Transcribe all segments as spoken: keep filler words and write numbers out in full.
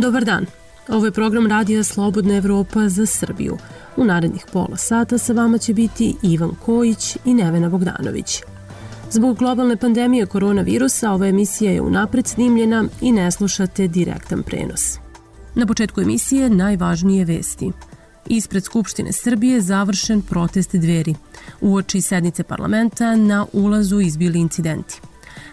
Dobar dan, ovo je program Radija Slobodna Evropa za Srbiju. U narednih pola sata sa vama će biti Ivan Kojić i Nevena Bogdanović. Zbog globalne pandemije koronavirusa ova emisija je unapred snimljena i ne slušate direktan prenos. Na početku emisije najvažnije vesti. Ispred Skupštine Srbije završen protest Dveri. Uoči sednice parlamenta na ulazu izbili incidenti.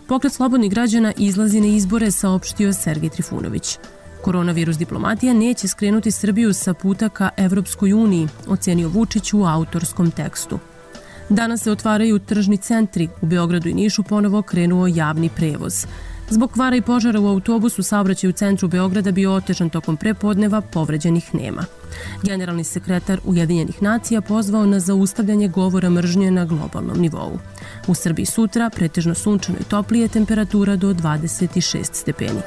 Pokret slobodnih građana izlazi na izbore, saopštio Sergej Trifunović. Koronavirus diplomatija neće skrenuti Srbiju sa puta ka Evropskoj uniji, ocenio Vučić u autorskom tekstu. Danas se otvaraju tržni centri. U Beogradu i Nišu ponovo krenuo javni prevoz. Zbog kvara i požara u autobusu saobraćaj u centru Beograda bio otežan tokom prepodneva, povređenih nema. Generalni sekretar Ujedinjenih nacija pozvao na zaustavljanje govora mržnje na globalnom nivou. U Srbiji sutra pretežno sunčano i toplije, temperatura do dvadeset šest stepeni.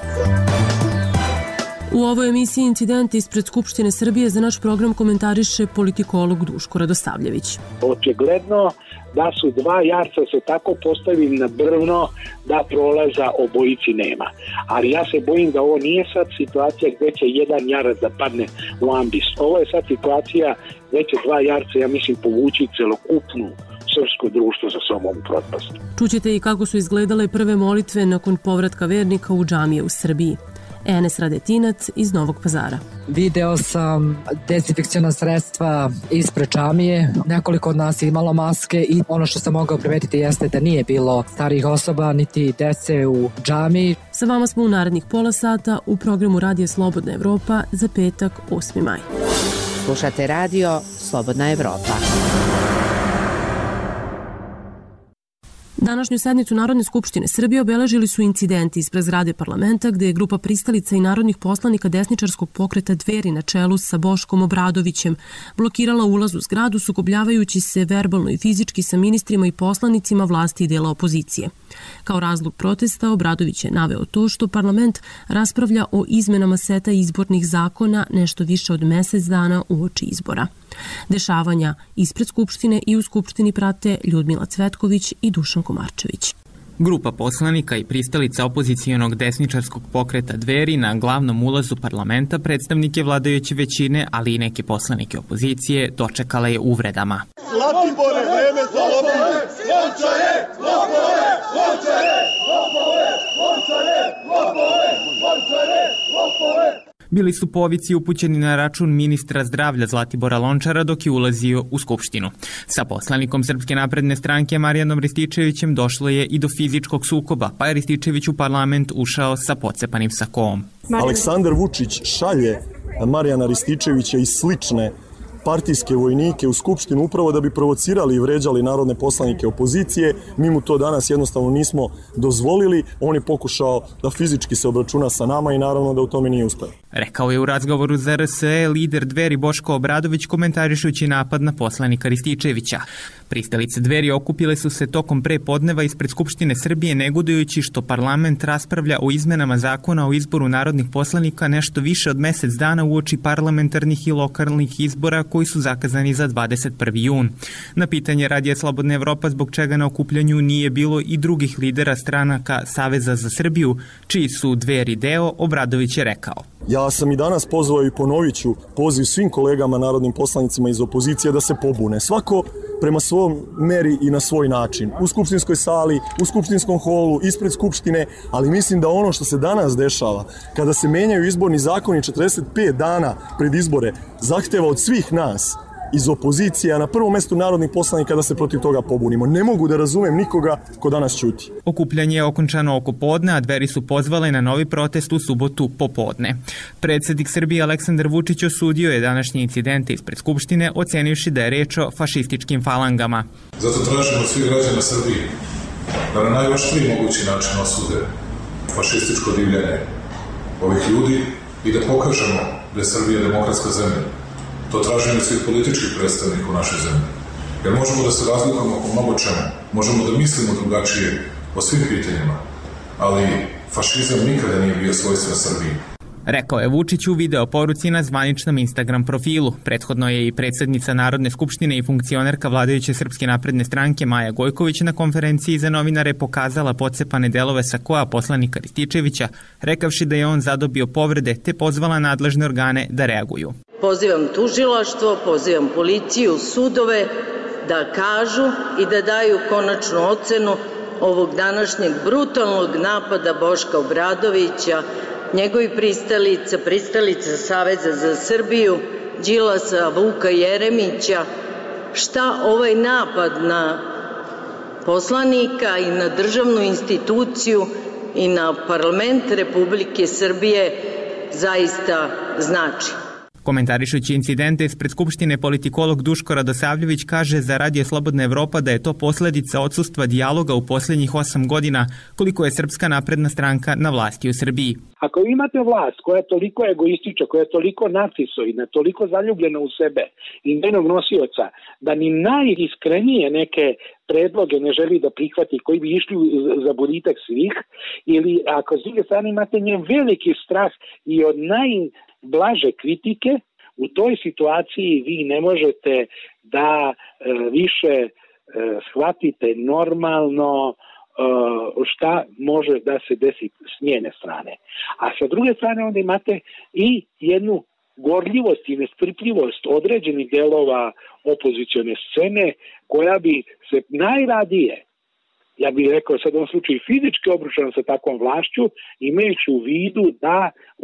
U ovoj emisiji incident ispred Skupštine Srbije za naš program komentariše politikolog Duško Radosavljević. Očigledno da su dva jarca se tako postavili na brvno da prolaza obojici nema. Ali ja se bojim da ovo nije sad situacija gde će jedan jarac da padne u ambis. Ovo je sad situacija gde će dva jarca, ja mislim, povući celokupnu srpsko društvo za sobom u propast. Čućete i kako su izgledale prve molitve nakon povratka vernika u džamije u Srbiji. Enes Radetinac iz Novog Pazara. Video sam dezinfekciona sredstva ispred džamije. Nekoliko od nas je imalo maske i ono što sam mogao primetiti jeste da nije bilo starijih osoba niti dece u džamiji. Sa vama smo u narednih pola sata u programu Radija Slobodna Evropa za petak osmi maj. Slušate radio Slobodna Evropa. Današnju sednicu Narodne skupštine Srbije obeležili su incidenti ispred zgrade parlamenta gde je grupa pristalica i narodnih poslanika desničarskog pokreta Dveri na čelu sa Boškom Obradovićem blokirala ulaz u zgradu, sukobljavajući se verbalno i fizički sa ministrima i poslanicima vlasti i dela opozicije. Kao razlog protesta Obradović je naveo to što parlament raspravlja o izmenama seta izbornih zakona nešto više od mesec dana uoči izbora. Dešavanja ispred Skupštine i u Skupštini prate Ljudmila Cvetković i Dušan Komarčević. Grupa poslanika i pristalica opozicijonog desničarskog pokreta Dveri na glavnom ulazu parlamenta predstavnike vladajuće većine, ali i neke poslanike opozicije, dočekala je uvredama. Zlatibore, vreme za lopove! Lončare! Lopove! Lončare! Lopove! Lončare! Lopove! Lončare! Lopove! Bili su povici upućeni na račun ministra zdravlja Zlatibora Lončara dok je ulazio u Skupštinu. Sa poslanikom Srpske napredne stranke Marijanom Rističevićem došlo je i do fizičkog sukoba, pa je Rističević u parlament ušao sa pocepanim sakom. Aleksandar Vučić šalje Marijana Rističevića i slične partijske vojnike u Skupštinu upravo da bi provocirali i vređali narodne poslanike opozicije. Mi mu to danas jednostavno nismo dozvolili. On je pokušao da fizički se obračuna sa nama i naravno da u tome nije uspeo. Rekao je u razgovoru za R S E lider Dveri Boško Obradović komentarišući napad na poslanika Rističevića. Pristalice Dveri okupile su se tokom prepodneva ispred Skupštine Srbije negodujući što parlament raspravlja o izmenama zakona o izboru narodnih poslanika nešto više od mesec dana uoči parlamentarnih i lokalnih izbora koji su zakazani za dvadeset prvi jun. Na pitanje Radija Slobodna Evropa zbog čega na okupljanju nije bilo i drugih lidera stranaka Saveza za Srbiju, čiji su Dveri deo, Obradović je rekao. Ja sam i danas pozvao i ponovit ću poziv svim kolegama narodnim poslanicima iz opozicije da se pobune. Svako prema svom meri i na svoj način. U skupštinskoj sali, u skupštinskom holu, ispred Skupštine, ali mislim da ono što se danas dešava, kada se menjaju izborni zakoni četrdeset pet dana pred izbore, zahteva od svih nas iz opozicije, a na prvom mestu narodnih poslanika da se protiv toga pobunimo. Ne mogu da razumem nikoga ko danas ćuti. Okupljanje je okončano oko podne, a Dveri su pozvale na novi protest u subotu popodne. Predsjednik Srbije Aleksandar Vučić osudio je današnje incidente ispred Skupštine, ocenivši da je reč o fašističkim falangama. Zato tražimo od svih građana Srbije da na najoštriji mogući način osude fašističko divljenje ovih ljudi i da pokažemo da je Srbija demokratska zemlja. To tražimo od svih političkih predstavnika u našoj zemlji. Jer možemo da se razlikujemo oko mnogo čemu, možemo da mislimo drugačije o svim pitanjima, ali fašizam nikada nije bio svojstven Srbiji. Rekao je Vučić u video poruci na zvaničnom Instagram profilu. Prethodno je i predsjednica Narodne skupštine i funkcionerka vladajuće Srpske napredne stranke Maja Gojković na konferenciji za novinare pokazala pocepane delove sakoa poslanika Rističevića, rekavši da je on zadobio povrede te pozvala nadležne organe da reaguju. Pozivam tužilaštvo, pozivam policiju, sudove da kažu i da daju konačnu ocenu ovog današnjeg brutalnog napada Boška Obradovića, njegovi pristalica, pristalica Saveza za Srbiju, Đilasa, Vuka Jeremića, šta ovaj napad na poslanika i na državnu instituciju i na parlament Republike Srbije zaista znači. Komentarišući incidente ispred Skupštine, politikolog Duško Radosavljević kaže za Radio Slobodna Evropa da je to posljedica odsustva dijaloga u posljednjih osam godina koliko je Srpska napredna stranka na vlasti u Srbiji. Ako imate vlast koja je toliko egoistična, koja je toliko narcisoidna, toliko zaljubljena u sebe i njenog nosioca, da ni najiskrenije neke predloge ne želi da prihvati koji bi išli za boljitak svih, ili ako s druge strane imate njen veliki strah i od najblaže kritike, u toj situaciji vi ne možete da e, više e, shvatite normalno šta može da se desi s njene strane. A sa druge strane onda imate i jednu gorljivost i nestrpljivost određenih delova opozicione scene koja bi se najradije, ja bih rekao sad u ovom slučaju fizički obrušena sa takvom vlašću, imajući u vidu da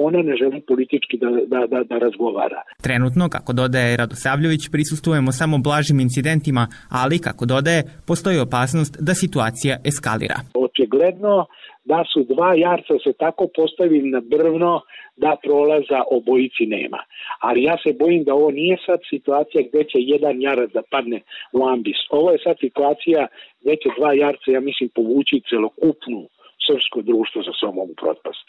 ona ne želi politički da, da, da, da razgovara. Trenutno, kako dodaje Radosavljević, prisustujemo samo blažim incidentima, ali, kako dodaje, postoji opasnost da situacija eskalira. Očigledno da su dva jarca se tako postavili na brvno da prolaza obojici nema. Ali ja se bojim da ovo nije sad situacija gdje će jedan jarac da padne u ambis. Ovo je sad situacija gdje će dva jarca, ja mislim, povući celokupnu srpsko društvo za sobom u propast.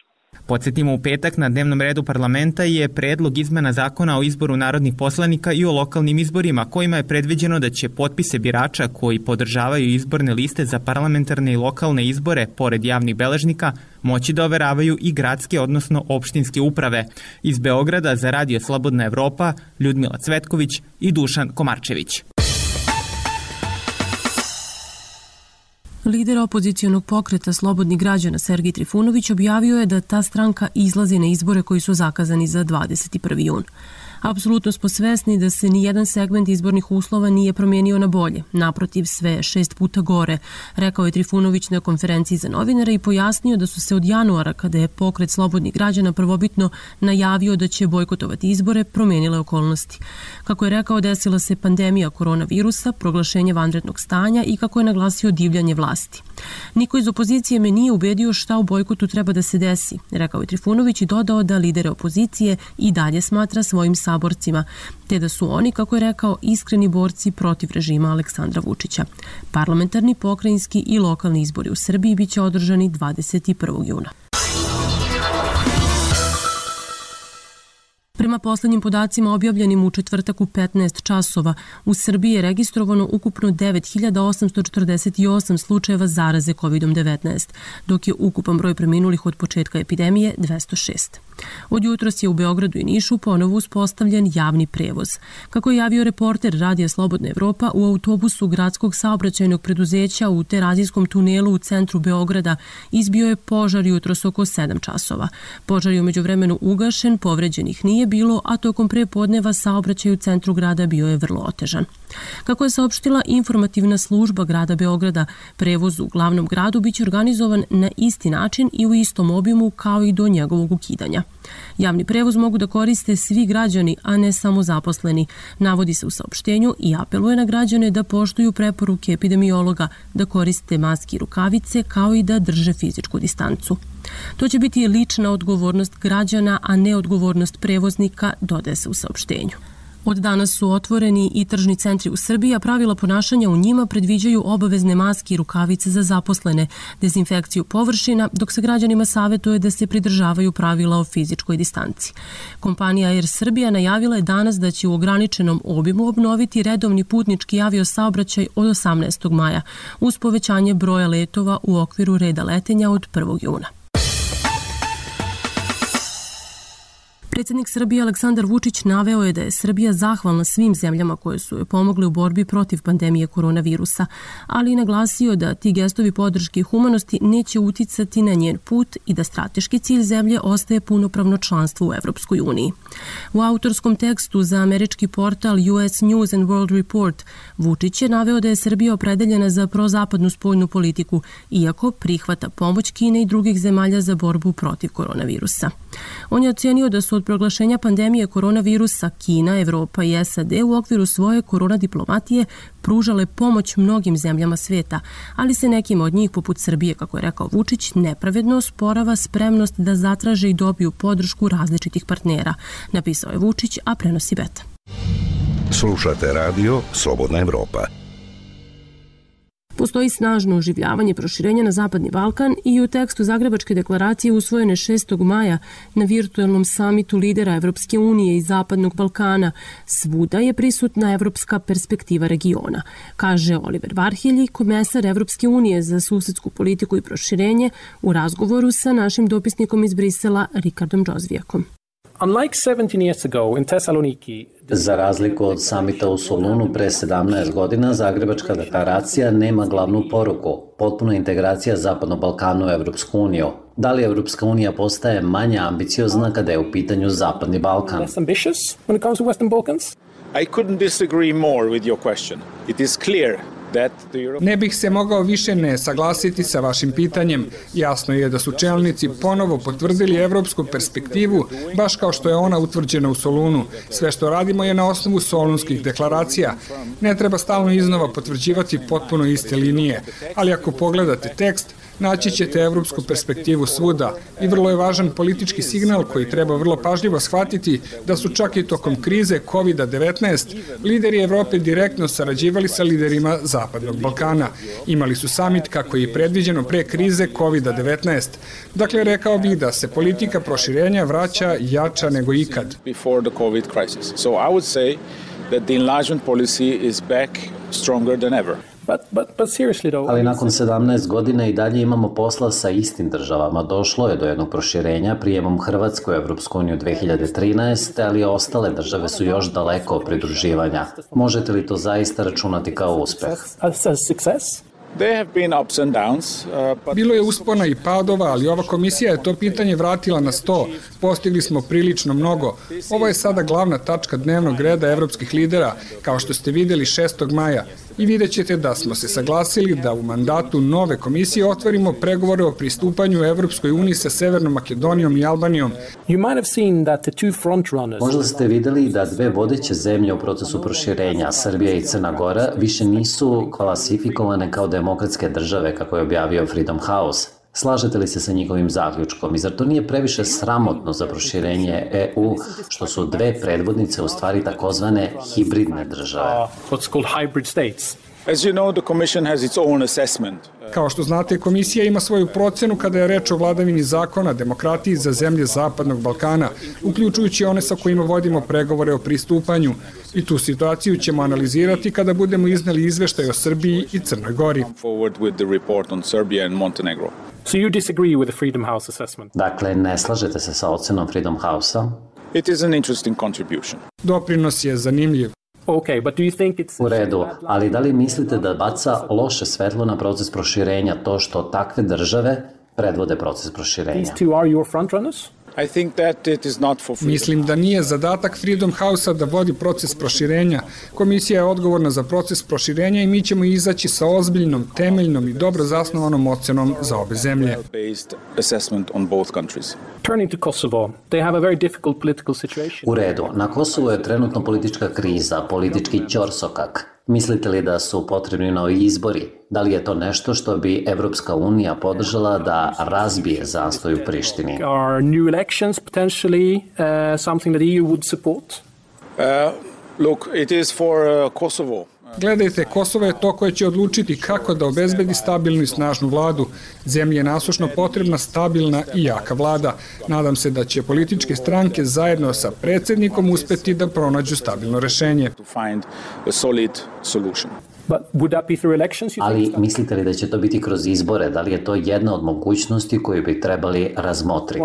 Podsjetimo, u petak na dnevnom redu parlamenta je predlog izmena zakona o izboru narodnih poslanika i o lokalnim izborima, kojima je predviđeno da će potpise birača koji podržavaju izborne liste za parlamentarne i lokalne izbore, pored javnih beležnika, moći da overavaju i gradske, odnosno opštinske uprave. Iz Beograda za Radio Slobodna Evropa, Ljudmila Cvetković i Dušan Komarčević. Lider opozicionog pokreta Slobodnih građana Sergej Trifunović objavio je da ta stranka izlazi na izbore koji su zakazani za dvadeset prvi jun. Apsolutno smo svesni da se ni jedan segment izbornih uslova nije promijenio na bolje. Naprotiv, sve je šest puta gore, rekao je Trifunović na konferenciji za novinare i pojasnio da su se od januara, kada je pokret Slobodnih građana prvobitno najavio da će bojkotovati izbore, promijenile okolnosti. Kako je rekao, desila se pandemija koronavirusa, proglašenje vanrednog stanja i, kako je naglasio, divljanje vlasti. Niko iz opozicije me nije ubedio šta u bojkotu treba da se desi, rekao je Trifunović i dodao da lidere opozicije i dalje smatra svojim saborcima, te da su oni, kako je rekao, iskreni borci protiv režima Aleksandra Vučića. Parlamentarni, pokrajinski i lokalni izbori u Srbiji biće održani dvadeset prvog juna. Prema poslednjim podacima objavljenim u četvrtak u petnaest časova, u Srbiji je registrovano ukupno devet hiljada osamsto četrdeset osam slučajeva zaraze kovid devetnaest, dok je ukupan broj preminulih od početka epidemije dvesta šest. Od jutros je u Beogradu i Nišu ponovo uspostavljen javni prevoz. Kako je javio reporter Radija Slobodna Evropa, u autobusu gradskog saobraćajnog preduzeća u Terazijskom tunelu u centru Beograda izbio je požar jutros oko sedam časova. Požar je umeđu vremenu ugašen, povređenih nije bilo, a tokom prepodneva saobraćaj u centru grada bio je vrlo otežan. Kako je saopštila informativna služba grada Beograda, prevoz u glavnom gradu biće organizovan na isti način i u istom obimu kao i do njegovog ukidanja. Javni prevoz mogu da koriste svi građani, a ne samo zaposleni, navodi se u saopštenju i apeluje na građane da poštuju preporuke epidemiologa, da koriste maske i rukavice, kao i da drže fizičku distancu. To će biti lična odgovornost građana, a ne odgovornost prevoznika, dodaje se u saopštenju. Od danas su otvoreni i tržni centri u Srbiji, a pravila ponašanja u njima predviđaju obavezne maske i rukavice za zaposlene, dezinfekciju površina, dok se građanima savjetuje da se pridržavaju pravila o fizičkoj distanci. Kompanija Air Srbija najavila je danas da će u ograničenom obimu obnoviti redovni putnički aviosaobraćaj od osamnaestog maja, uz povećanje broja letova u okviru reda letenja od prvog juna. Predsjednik Srbije Aleksandar Vučić naveo je da je Srbija zahvalna svim zemljama koje su joj pomogle u borbi protiv pandemije koronavirusa, ali i naglasio da ti gestovi podrške i humanosti neće uticati na njen put i da strateški cilj zemlje ostaje punopravno članstvo u Evropskoj uniji. U autorskom tekstu za američki portal U S News and World Report Vučić je naveo da je Srbija opredeljena za prozapadnu spoljnu politiku, iako prihvata pomoć Kine i drugih zemalja za borbu protiv koronavirusa. On je ocenio da su od proglašenja pandemije koronavirusa Kina, Evropa i S A D u okviru svoje korona diplomatije pružale pomoć mnogim zemljama sveta, ali se nekim od njih, poput Srbije, kako je rekao Vučić, nepravedno osporava spremnost da zatraže i dobiju podršku različitih partnera, napisao je Vučić, a prenosi Beta. Slušate radio Slobodna Evropa. Postoji snažno oživljavanje proširenja na Zapadni Balkan i u tekstu Zagrebačke deklaracije usvojene šestog maja na virtuelnom samitu lidera Evropske unije i Zapadnog Balkana svuda je prisutna evropska perspektiva regiona, kaže Oliver Varhelji, komesar Evropske unije za susedsku politiku i proširenje, u razgovoru sa našim dopisnikom iz Brisela Rikardom Džozvijakom. Za razliku od samita u Solunu pre sedamnaest godina, Zagrebačka deklaracija nema glavnu poruku, potpuna integracija Zapadnog Balkana u Evropsku uniju. Da li Evropska unija postaje manje ambiciozna kada je u pitanju Zapadni Balkan? I couldn't disagree more with your question. It is clear Ne bih se mogao više ne saglasiti sa vašim pitanjem. Jasno je da su čelnici ponovo potvrdili evropsku perspektivu, baš kao što je ona utvrđena u Solunu. Sve što radimo je na osnovu solunskih deklaracija. Ne treba stalno iznova potvrđivati potpuno iste linije, ali ako pogledate tekst, naći ćete evropsku perspektivu svuda i vrlo je važan politički signal koji treba vrlo pažljivo shvatiti da su čak i tokom krize kovid devetnaest lideri Evrope direktno sarađivali sa liderima Zapadnog Balkana. Imali su samit kako je predviđeno pre krize kovid devetnaest. Dakle, rekao bih da se politika proširenja vraća jača nego ikad. Before the COVID crisis. So I would say that the enlargement policy is back stronger than ever. But, but, but seriously though, ali nakon sedamnaest godina i dalje imamo posla sa istim državama. Došlo je do jednog proširenja prijemom Hrvatske u Evropsku uniju dve hiljade trinaeste. ali ostale države su još daleko od pridruživanja. Možete li to zaista računati kao uspeh? Bilo je uspona i padova, ali ova komisija je to pitanje vratila na sto. Postigli smo prilično mnogo. Ovo je sada glavna tačka dnevnog reda evropskih lidera, kao što ste videli šestog maja. I vidjet ćete da smo se saglasili da u mandatu nove komisije otvorimo pregovore o pristupanju Evropskoj uniji sa Severnom Makedonijom i Albanijom. Možda ste videli da dve vodeće zemlje u procesu proširenja, Srbija i Crna Gora, više nisu klasifikovane kao demokratske države, kako je objavio Freedom House. Slažete li se sa njihovim zaključkom? I zar to nije previše sramotno za proširenje E U, što su dve predvodnice u stvari takozvane hibridne države? As you know, the Commission has its own assessment. Kao što znate, komisija ima svoju procenu kada je reč o vladavini zakona, demokratiji za zemlje Zapadnog Balkana, uključujući one sa kojima vodimo pregovore o pristupanju. I tu situaciju ćemo analizirati kada budemo izneli izveštaj o Srbiji i Crnoj Gori. So you disagree with the Freedom House assessment? Dakle, ne slažete se sa ocenom Freedom House-a? It is an interesting contribution. Doprinos je zanimljiv. Okay, but do you think it's... U redu, ali da li mislite da baca loše svetlo na proces proširenja to što takve države predvode proces proširenja? These two are your frontrunners? I think that it is not for freedom. Mislim da nije zadatak Freedom House-a da vodi proces proširenja. Komisija je odgovorna za proces proširenja i mi ćemo izaći sa ozbiljnom, temeljnom i dobro zasnovanom ocenom za obe zemlje. Turning to Kosovo, they have a very difficult political situation. U redu, na Kosovu je trenutno politička kriza, politički ćorsokak. Mislite li da su potrebni novi izbori? Da li je to nešto što bi Evropska unija podržala da razbije zastoj u Prištini? Are new elections potentially uh, something that E U would support? Uh, look, it is for uh, Kosovo. Gledajte, Kosovo je to koje će odlučiti kako da obezbedi stabilnu i snažnu vladu. Zemlji je nasušno potrebna stabilna i jaka vlada. Nadam se da će političke stranke zajedno sa predsjednikom uspeti da pronađu stabilno rešenje. Ali mislite li da će to biti kroz izbore? Da li je to jedna od mogućnosti koju bi trebali razmotriti?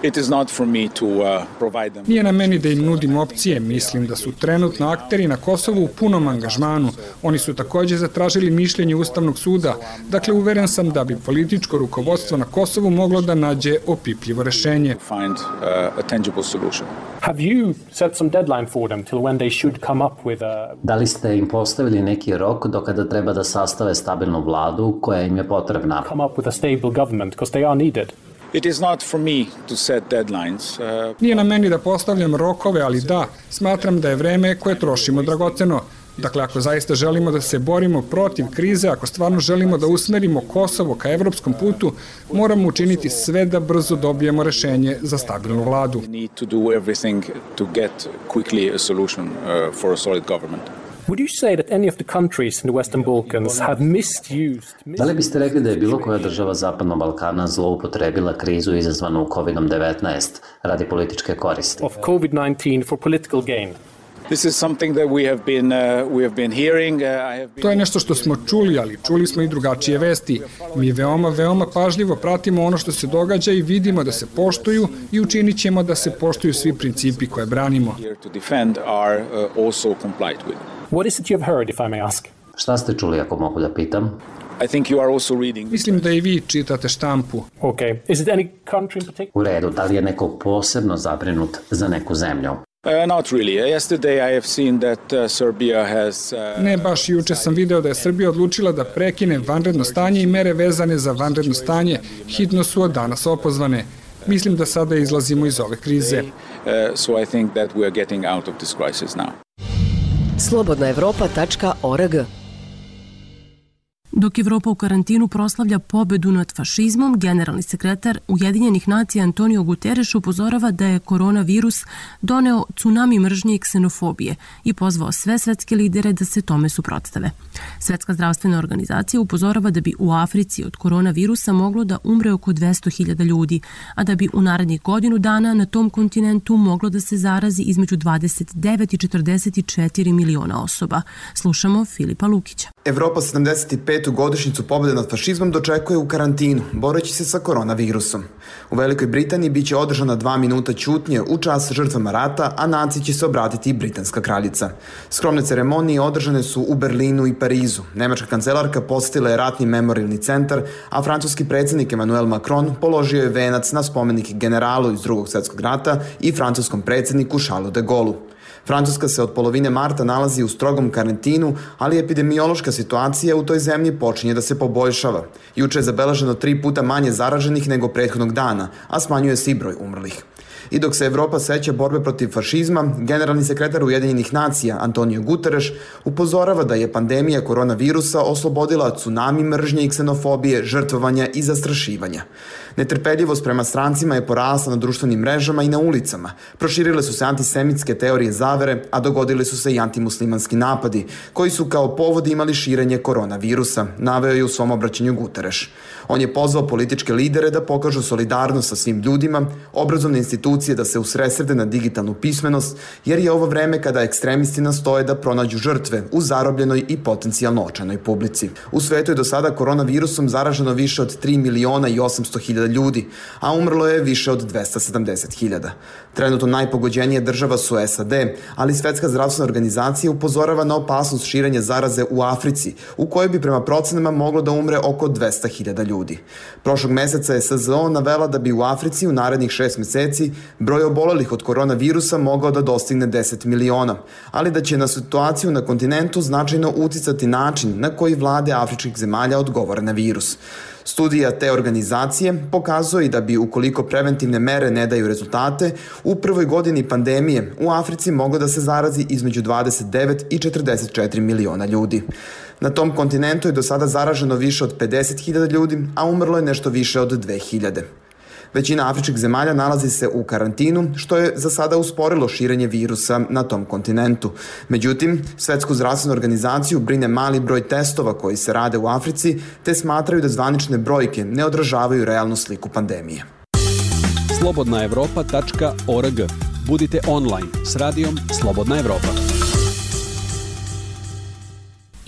It is not for me to uh, provide them. Nije na meni da im nudim opcije, mislim da su trenutno akteri na Kosovu u punom angažmanu. Oni su takođe zatražili mišljenje Ustavnog suda, dakle uveren sam da bi političko rukovodstvo na Kosovu moglo da nađe opipljivo rešenje. Find uh, a tangible solution. Have you set some deadline for them till when they should come up with a... Da li ste im postavili neki rok do kada treba da sastave stabilnu vladu koja im je potrebna? Come up with a stable government because they are needed. It is not for me to set deadlines. Uh... Nije na meni da postavljam rokove, ali da, smatram da je vreme koje trošimo dragoceno. Dakle, ako zaista želimo da se borimo protiv krize, ako stvarno želimo da usmerimo Kosovo ka evropskom putu, moramo učiniti sve da brzo dobijemo rešenje za stabilnu vladu. We need to do everything to get quickly a solution uh, for a solid government. Would you say that any of the countries in the Western Balkans have misused... Da li biste rekli da je bilo koja država Zapadnog Balkana zloupotrebila krizu izazvanu kovid devetnaest radi političke koristi? Of COVID nineteen for political gain? This is something that we have been uh, we have been hearing. Uh, I have been... To je nešto što smo čuli, ali čuli smo i drugačije vesti. Mi veoma, veoma pažljivo pratimo ono što se događa i vidimo da se poštuju i učinit ćemo da se poštuju svi principi koje branimo. Here to defend are uh, also complied with. What is it you have heard, if I may ask? Šta ste čuli, ako mogu da pitam? I think you are also reading. Mislim da i vi čitate štampu. Okay. Is it any country in particular? U redu, da li je neko posebno zabrinut za neku zemlju? Uh, not really. Yesterday I have seen that uh, Serbia has... Uh... Ne, baš juče sam video da je Srbija odlučila da prekine vanredno stanje i mere vezane za vanredno stanje. Hitno su od danas opozvane. Mislim da sada izlazimo iz ove krize. Uh, so I think that we are getting out of this crisis now. slobodna evropa tačka org. Dok Evropa u karantinu proslavlja pobedu nad fašizmom, generalni sekretar Ujedinjenih nacija Antonio Guterres upozorava da je koronavirus doneo tsunami mržnje i ksenofobije i pozvao sve svetske lidere da se tome suprotstave. Svetska zdravstvena organizacija upozorava da bi u Africi od koronavirusa moglo da umre oko dvesta hiljada ljudi, a da bi u narednih godinu dana na tom kontinentu moglo da se zarazi između dvadeset devet i četrdeset četiri miliona osoba. Slušamo Filipa Lukića. Evropa sedamdeset petu godišnjicu pobjede nad fašizmom dočekuje u karantinu, boreći se sa koronavirusom. U Velikoj Britaniji biće održana dva minuta ćutnje u čast žrtvama rata, a naciji će se obratiti i britanska kraljica. Skromne ceremonije održane su u Berlinu i Parizu. Nemačka kancelarka posjetila je ratni memorialni centar, a francuski predsjednik Emmanuel Macron položio je venac na spomenik generalu iz drugog svjetskog rata i francuskom predsjedniku Charlesu de Gaullu. Francuska se od polovine marta nalazi u strogom karantinu, ali epidemiološka situacija u toj zemlji počinje da se poboljšava. Juče je zabeleženo tri puta manje zaraženih nego prethodnog dana, a smanjuje se i broj umrlih. I dok se Evropa seća borbe protiv fašizma, generalni sekretar Ujedinjenih nacija Antonio Guterres upozorava da je pandemija koronavirusa oslobodila tsunami mržnje i ksenofobije, žrtvovanja i zastrašivanja. Netrpeljivost prema strancima je porasla na društvenim mrežama i na ulicama. Proširile su se antisemitske teorije zavere, a dogodili su se i antimuslimanski napadi, koji su kao povod imali širenje koronavirusa, naveo je u svom obraćanju Guterres. On je pozvao političke lidere da pokažu solidarnost sa svim ljudima, obrazovne institucije da se usredsrede na digitalnu pismenost, jer je ovo vreme kada ekstremisti nastoje da pronađu žrtve u zarobljenoj i potencijalno očajnoj publici. U svetu je do sada koronavirusom zaraženo više od tri miliona i osamsto hiljada ljudi, a umrlo je više od dvesta sedamdeset hiljada. Trenutno najpogođenije država su S A D, ali Svetska zdravstvena organizacija upozorava na opasnost širenja zaraze u Africi, u kojoj bi prema procenama moglo da umre oko dvesta hiljada ljudi. Prošlog meseca je S Z O navela da bi u Africi u narednih šest meseci broj obolelih od koronavirusa mogao da dostigne deset miliona, ali da će na situaciju na kontinentu značajno uticati način na koji vlade afričkih zemalja odgovore na virus. Studija te organizacije pokazuje da bi, ukoliko preventivne mere ne daju rezultate, u prvoj godini pandemije u Africi moglo da se zarazi između dvadeset devet i četrdeset četiri miliona ljudi. Na tom kontinentu je do sada zaraženo više od pedeset hiljada ljudi, a umrlo je nešto više od dve hiljade. Većina afričkih zemalja nalazi se u karantinu, što je za sada usporilo širenje virusa na tom kontinentu. Međutim, Svetsku zdravstvenu organizaciju brine mali broj testova koji se rade u Africi, te smatraju da zvanične brojke ne odražavaju realnu sliku pandemije. slobodna evropa tačka org. Budite online s radijom Slobodna Evropa.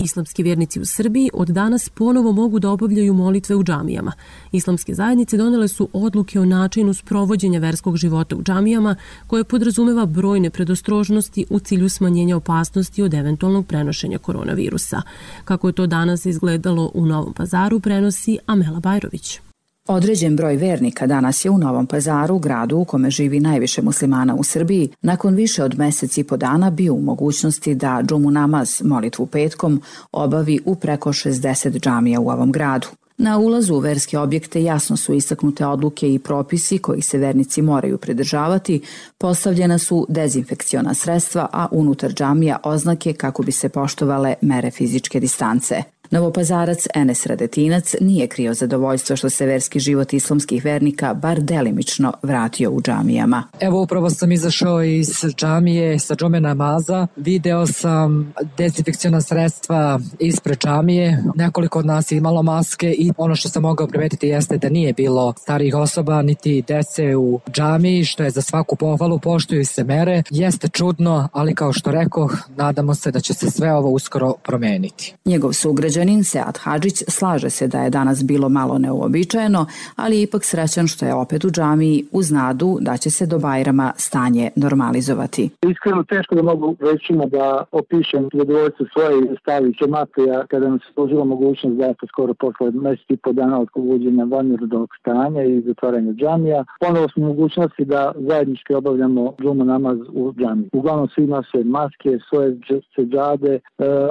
Islamski vjernici u Srbiji od danas ponovo mogu da obavljaju molitve u džamijama. Islamske zajednice donele su odluke o načinu sprovođenja verskog života u džamijama koje podrazumeva brojne predostrožnosti u cilju smanjenja opasnosti od eventualnog prenošenja koronavirusa. Kako je to danas izgledalo u Novom Pazaru, prenosi Amela Bajrović. Određen broj vernika danas je u Novom Pazaru, gradu u kome živi najviše muslimana u Srbiji, nakon više od mesec i po dana bio u mogućnosti da džumu namaz, molitvu petkom, obavi u preko šezdeset džamija u ovom gradu. Na ulazu u verske objekte jasno su istaknute odluke i propisi kojih se vernici moraju pridržavati, postavljena su dezinfekciona sredstva, a unutar džamija oznake kako bi se poštovale mere fizičke distance. Novopazarac Enes Radetinac nije krio zadovoljstvo što se verski život islamskih vernika bar delimično vratio u džamijama. Evo upravo sam izašao iz džamije sa džume namaza, video sam dezinfekciona sredstva ispred džamije, nekoliko od nas je imalo maske i ono što sam mogao primetiti jeste da nije bilo starijih osoba niti dece u džamiji, što je za svaku pohvalu, poštuju se mere. Jeste čudno, ali kao što rekoh, nadamo se da će se sve ovo uskoro promeniti. Njegov sugrađanin Sead Hadžić slaže se da je danas bilo malo neuobičajeno, ali je ipak srećan što je opet u džamiji uz nadu da će se do Bajrama stanje normalizovati. Iskreno teško da mogu recimo da opišem zadovoljstvo svoje stavi džematija kada nam se služila mogućnost da se skoro posle mesec i po dana od uvođenja vanrednog stanja i zatvaranja džamija. Ponovo smo mogućnosti da zajednički obavljamo džumu namaz u džamiji. Uglavnom svi nose maske, svoje seđade,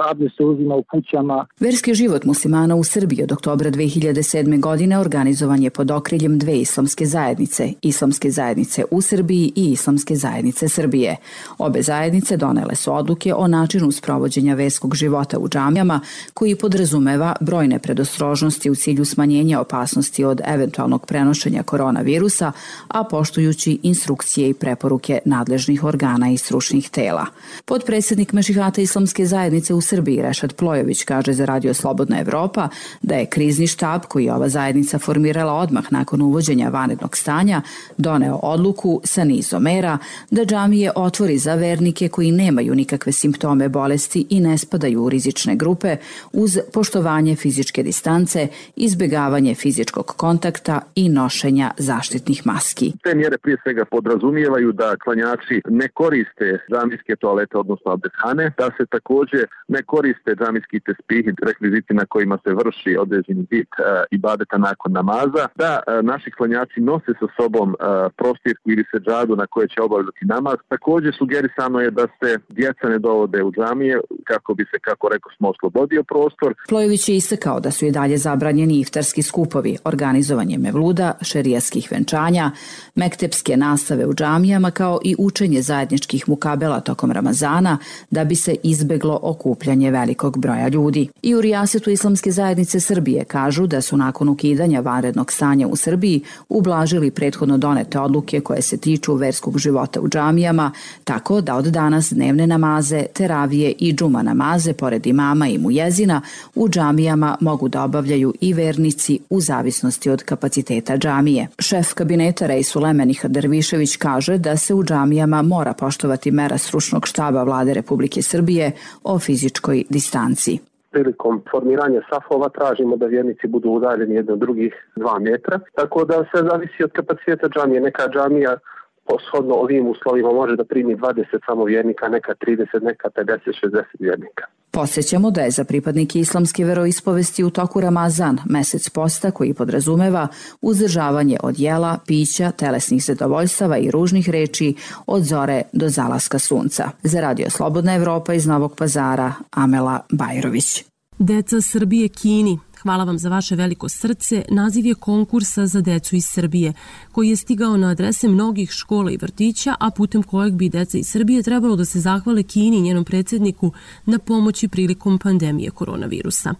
abdest se uzima u kućama. Verski život muslimana u Srbiji od oktobra dve hiljade sedme. godine organizovan je pod okriljem dve islamske zajednice, Islamske zajednice u Srbiji i Islamske zajednice Srbije. Obe zajednice donele su odluke o načinu sprovođenja verskog života u džamijama koji podrazumeva brojne predostrožnosti u cilju smanjenja opasnosti od eventualnog prenošenja koronavirusa, a poštujući instrukcije i preporuke nadležnih organa i stručnih tela. Potpredsjednik Mešihata Islamske zajednice u Srbiji Rešad Plojević kaže za Radio Slobodna Evropa da je krizni štab koji je ova zajednica formirala odmah nakon uvođenja vanrednog stanja doneo odluku sa nizom mera da džamije otvori za vernike koji nemaju nikakve simptome bolesti i ne spadaju u rizične grupe uz poštovanje fizičke distance, izbjegavanje fizičkog kontakta i nošenja zaštitnih maski. Te mjere prije svega podrazumijevaju da klanjači ne koriste džamijske toalete, odnosno abdesthane, da se također ne koriste džamijski tespih, rekviziti na kojima se vrši određeni vid uh, ibadeta nakon namaza, da uh, naši klanjači nose sa sobom uh, prostirku ili seđadu na koje će obavljati namaz. Također sugerisano je da se djeca ne dovode u džamije kako bi se, kako rekao smo, oslobodio prostor. Plojević je istakao da su i dalje zabranjeni iftarski skupovi, organizovanje mevluda, šerijatskih venčanja, mektepske nastave u džamijama kao i učenje zajedničkih mukabela tokom Ramazana da bi se izbeglo okupljanje velikog broja ljudi. I u Rijasetu Islamske zajednice Srbije kažu da su nakon ukidanja vanrednog stanja u Srbiji ublažili prethodno donete odluke koje se tiču verskog života u džamijama, tako da od danas dnevne namaze, teravije i džuma namaze pored imama i mujezina u džamijama mogu da obavljaju i vernici u zavisnosti od kapaciteta džamije. Šef kabineta Rejsul Emenih Dervišević kaže da se u džamijama mora poštovati mera stručnog štaba Vlade Republike Srbije o fizičkoj distanci. Prilikom formiranja safova tražimo da vjernici budu udaljeni jedno od drugih dva metra, tako da se zavisi od kapaciteta džamije. Neka džamija poshodno ovim uslovima može da primi dvadeset samo vjernika, neka trideset, neka pedeset, šezdeset vjernika. Podsjećamo da je za pripadnike islamske veroispovesti u toku Ramazan, mesec posta koji podrazumeva uzdržavanje od jela, pića, telesnih zadovoljstava i ružnih reči od zore do zalaska sunca. Za Radio Slobodna Evropa iz Novog Pazara, Amela Bajrović. Deca Srbije Kini. Hvala vam za vaše veliko srce. Naziv je konkursa za decu iz Srbije, koji je stigao na adrese mnogih škola i vrtića, a putem kojeg bi deca iz Srbije trebalo da se zahvale Kini i njenom predsjedniku na pomoći prilikom pandemije koronavirusa.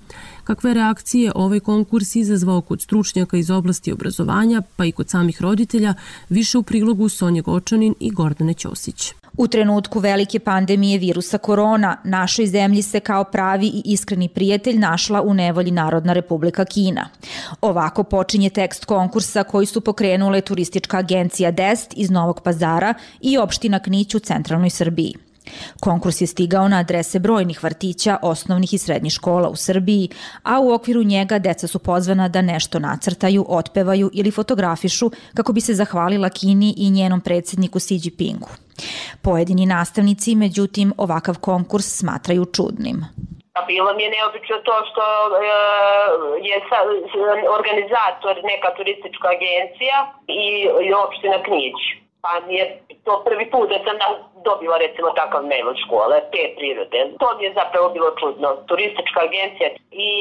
Kakve reakcije ovaj konkurs izazvao kod stručnjaka iz oblasti obrazovanja, pa i kod samih roditelja, više u prilogu Sonje Gočanin i Gordane Ćosić. U trenutku velike pandemije virusa korona, našoj zemlji se kao pravi i iskreni prijatelj našla u nevolji Narodna Republika Kina. Ovako počinje tekst konkursa koji su pokrenule turistička agencija D E S T iz Novog Pazara i opština Knić u centralnoj Srbiji. Konkurs je stigao na adrese brojnih vrtića, osnovnih i srednjih škola u Srbiji, a u okviru njega deca su pozvana da nešto nacrtaju, otpevaju ili fotografišu kako bi se zahvalila Kini i njenom predsjedniku Xi Jinpingu. Pojedini nastavnici, međutim, ovakav konkurs smatraju čudnim. Bilo mi je neobično to što je organizator neka turistička agencija i opština Knić. Pa mi je to prvi put da sam dobila recimo takav mail od škole, te prirode. To mi je zapravo bilo čudno. Turistička agencija i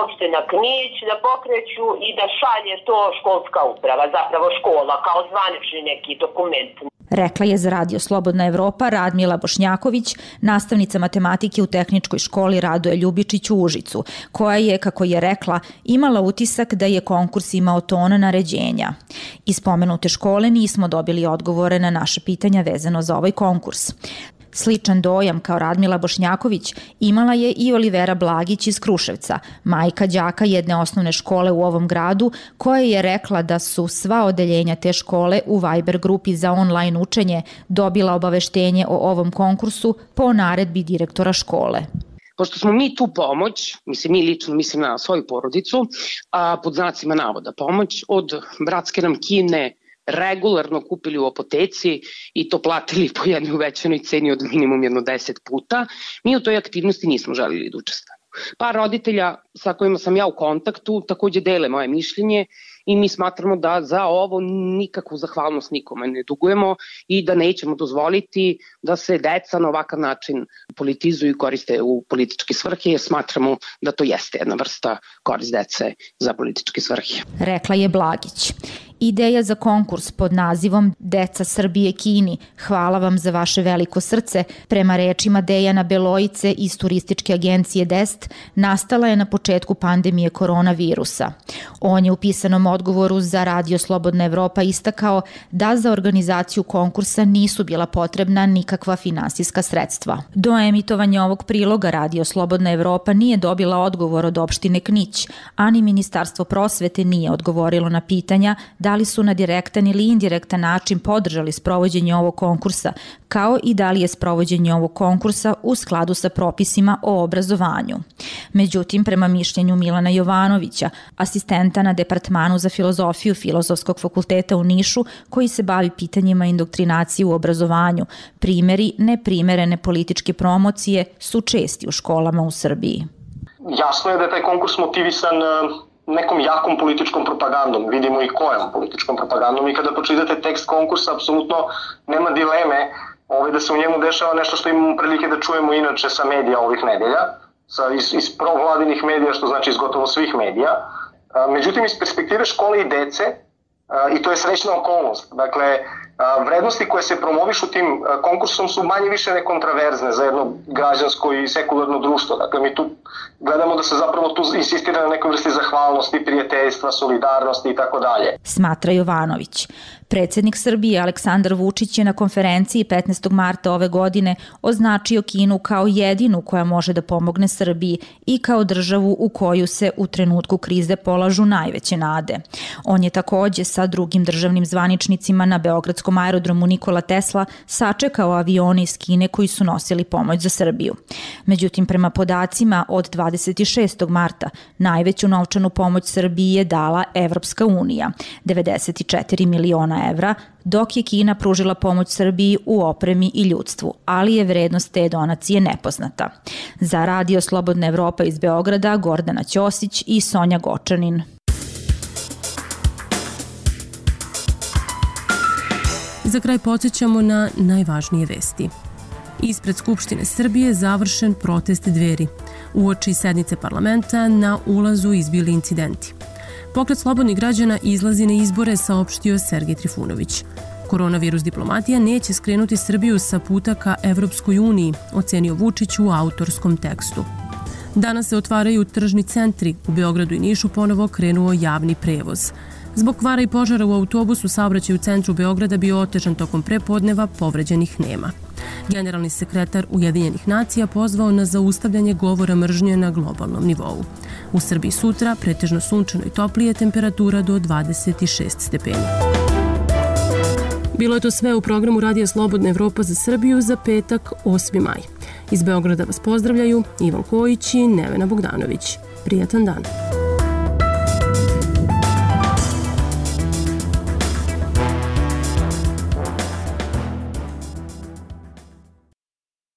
opština Knić da pokreću i da šalje to školska uprava, zapravo škola, kao zvanični neki dokument. Rekla je za Radio Slobodna Evropa Radmila Bošnjaković, nastavnica matematike u tehničkoj školi Radoje Ljubičić u Užicu, koja je, kako je rekla, imala utisak da je konkurs imao ton naređenja. Iz pomenute škole nismo dobili odgovore na naše pitanja vezano za ovaj konkurs. Sličan dojam kao Radmila Bošnjaković imala je i Olivera Blagić iz Kruševca, majka đaka jedne osnovne škole u ovom gradu, koja je rekla da su sva odeljenja te škole u Viber grupi za online učenje dobila obaveštenje o ovom konkursu po naredbi direktora škole. Pošto smo mi tu pomoć, mislim mi lično, mislim na svoju porodicu, a pod znacima navoda pomoć od bratske nam Kine regularno kupili u apoteci i to platili po jednoj uvećanoj ceni od minimum jedno deset puta, mi u toj aktivnosti nismo želili da učestvujemo. Par roditelja sa kojima sam ja u kontaktu takođe dele moje mišljenje i mi smatramo da za ovo nikakvu zahvalnost nikome ne dugujemo i da nećemo dozvoliti da se deca na ovakav način politizuju i koriste u političke svrhe, jer smatramo da to jeste jedna vrsta korist dece za političke svrhe. Rekla je Blagić. Ideja za konkurs pod nazivom Deca Srbije Kini, hvala vam za vaše veliko srce, prema rečima Dejana Belojice iz turističke agencije D E S T, nastala je na početku pandemije koronavirusa. On je u pisanom odgovoru za Radio Slobodna Evropa istakao da za organizaciju konkursa nisu bila potrebna nikakva finansijska sredstva. Do emitovanja ovog priloga Radio Slobodna Evropa nije dobila odgovor od opštine Knić, a ni Ministarstvo prosvete nije odgovorilo na pitanja da li su na direktan ili indirektan način podržali sprovođenje ovog konkursa, kao i da li je sprovođenje ovog konkursa u skladu sa propisima o obrazovanju. Međutim, prema mišljenju Milana Jovanovića, asistenta na Departmanu za filozofiju Filozofskog fakulteta u Nišu, koji se bavi pitanjima indoktrinacije u obrazovanju, primeri neprimerene političke promocije su česti u školama u Srbiji. Jasno je da je taj konkurs motivisan nekom jakom političkom propagandom, vidimo i kojom političkom propagandom, i kada pročitate tekst konkursa, apsolutno nema dileme ovaj, da se u njemu dešava nešto što imamo prilike da čujemo inače sa medija ovih nedelja, sa, iz, iz provladinih medija, što znači iz gotovo svih medija. Međutim, iz perspektive škole i dece, i to je srećna okolnost, dakle, vrednosti koje se promovišu tim konkursom su manje više nekontraverzne za jedno građansko i sekularno društvo. Dakle, mi tu gledamo da se zapravo tu insistira na nekoj vrsti zahvalnosti, prijateljstva, solidarnosti i tako dalje. Smatra Jovanović. Predsjednik Srbije Aleksandar Vučić je na konferenciji petnaestog marta ove godine označio Kinu kao jedinu koja može da pomogne Srbiji i kao državu u koju se u trenutku krize polažu najveće nade. On je takođe sa drugim državnim zvaničnicima na beogradskom aerodromu Nikola Tesla sačekao avione iz Kine koji su nosili pomoć za Srbiju. Međutim, prema podacima od dvadeset šestog marta najveću novčanu pomoć Srbiji je dala Evropska unija, devedeset četiri miliona evra, dok je Kina pružila pomoć Srbiji u opremi i ljudstvu, ali je vrednost te donacije nepoznata. Za Radio Slobodna Evropa iz Beograda, Gordana Ćosić i Sonja Gočanin. Za kraj podsjećamo na najvažnije vesti. Ispred Skupštine Srbije završen protest Dveri. Uoči sednice parlamenta na ulazu izbili incidenti. Pokret slobodnih građana izlazi na izbore, saopštio Sergej Trifunović. Koronavirus diplomatija neće skrenuti Srbiju sa puta ka Evropskoj uniji, ocenio Vučić u autorskom tekstu. Danas se otvaraju tržni centri. U Beogradu i Nišu ponovo krenuo javni prevoz. Zbog kvara i požara u autobusu saobraćaj u centru Beograda bio otežan tokom prepodneva, povređenih nema. Generalni sekretar Ujedinjenih nacija pozvao na zaustavljanje govora mržnje na globalnom nivou. U Srbiji sutra pretežno sunčano i toplije, temperatura do dvadeset šest stepeni. Bilo je to sve u programu Radija Slobodna Evropa za Srbiju za petak osmi maj. Iz Beograda vas pozdravljaju Ivan Kojić i Nevena Bogdanović. Prijatan dan.